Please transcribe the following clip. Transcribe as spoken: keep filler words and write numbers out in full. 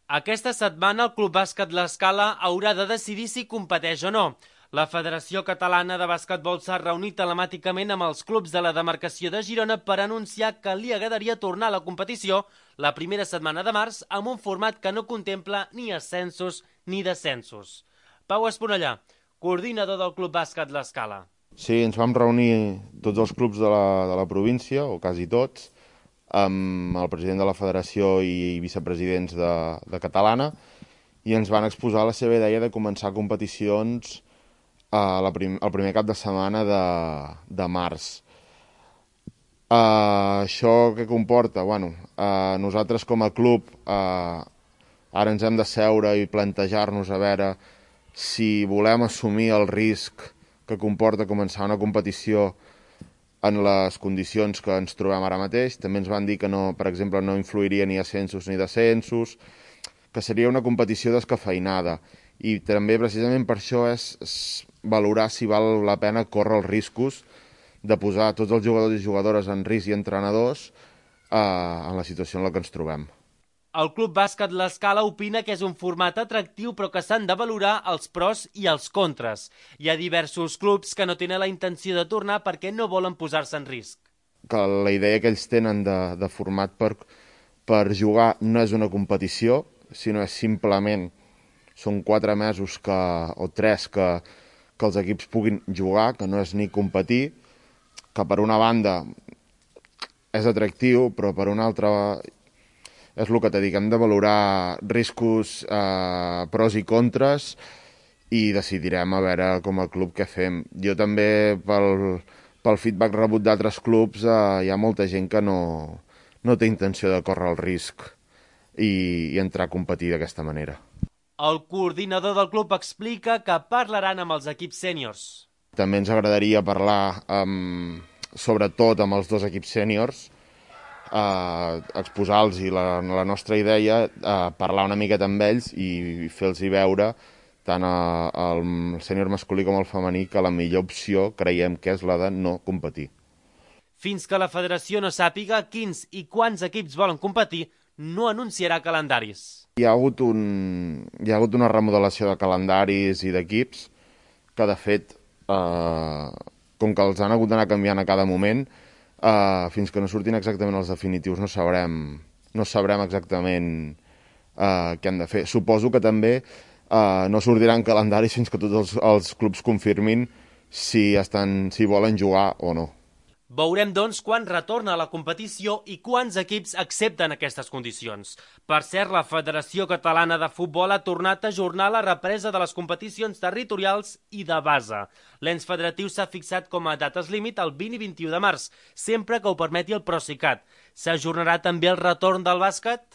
Aquesta setmana el Club Bàsquet L'Escala haurà de decidir si competeix o no. La Federació Catalana de Basquetbol s'ha reunit telemàticament amb els clubs de la demarcació de Girona per anunciar que li agradaria tornar a la competició la primera setmana de març amb un format que no contempla ni ascensos ni descensos. Pau Esponellà, coordinador del Club Bàsquet L'Escala. Sí, ens vam reunir tots els clubs de la, de la província, o quasi tots, amb el president de la federació i vicepresidents de, de Catalana, i ens van exposar la seva idea de començar competicions a la prim, el primer cap de setmana de, de març. Uh, això què comporta? Bueno, uh, nosaltres com a club uh, ara ens hem de seure i plantejar-nos a veure si volem assumir el risc que comporta començar una competició en les condicions que ens trobem ara mateix. També ens van dir que, no, per exemple, no influiria ni ascensos ni descensos, que seria una competició descafeinada. I també, precisament per això, és, és valorar si val la pena córrer els riscos de posar tots els jugadors i jugadores en risc i entrenadors eh, en la situació en la que ens trobem. El Club Bàsquet L'Escala opina que és un format atractiu però que s'han de valorar els pros i els contres. Hi ha diversos clubs que no tenen la intenció de tornar perquè no volen posar-se en risc. Que la idea que ells tenen de, de format per, per jugar no és una competició, sinó és simplement, són quatre mesos que, o tres que, que els equips puguin jugar, que no és ni competir, que per una banda és atractiu, però per una altra és el que t'he dit, hem de valorar riscos, eh, pros i contres, i decidirem a veure com a club què fem. Jo també, pel, pel feedback rebut d'altres clubs, eh, hi ha molta gent que no, no té intenció de córrer el risc i, i entrar a competir d'aquesta manera. El coordinador del club explica que parlaran amb els equips sèniors. També ens agradaria parlar, amb, sobretot amb els dos equips sèniors, Uh, exposar-los la, la nostra idea, uh, parlar una miqueta amb ells i fer-los veure tant a, al sènior masculí com al femení que la millor opció creiem que és la de no competir. Fins que la federació no sàpiga quins i quants equips volen competir, no anunciarà calendaris. Hi ha hagut, un, hi ha hagut una remodelació de calendaris i d'equips que, de fet, uh, com que els han hagut d'anar canviant a cada moment, Uh, fins que no surtin exactament els definitius no sabrem, no sabrem exactament uh, què han de fer. Suposo que també uh, no sortiran calendaris fins que tots els, els clubs confirmin si, estan, si volen jugar o no. Veurem, doncs, quan retorna a la competició i quants equips accepten aquestes condicions. Per cert, la Federació Catalana de Futbol ha tornat a ajornar la represa de les competicions territorials i de base. L'ens federatiu s'ha fixat com a dates límit el vint i vint-i-u de març, sempre que ho permeti el Procicat. S'ajornarà també el retorn del bàsquet?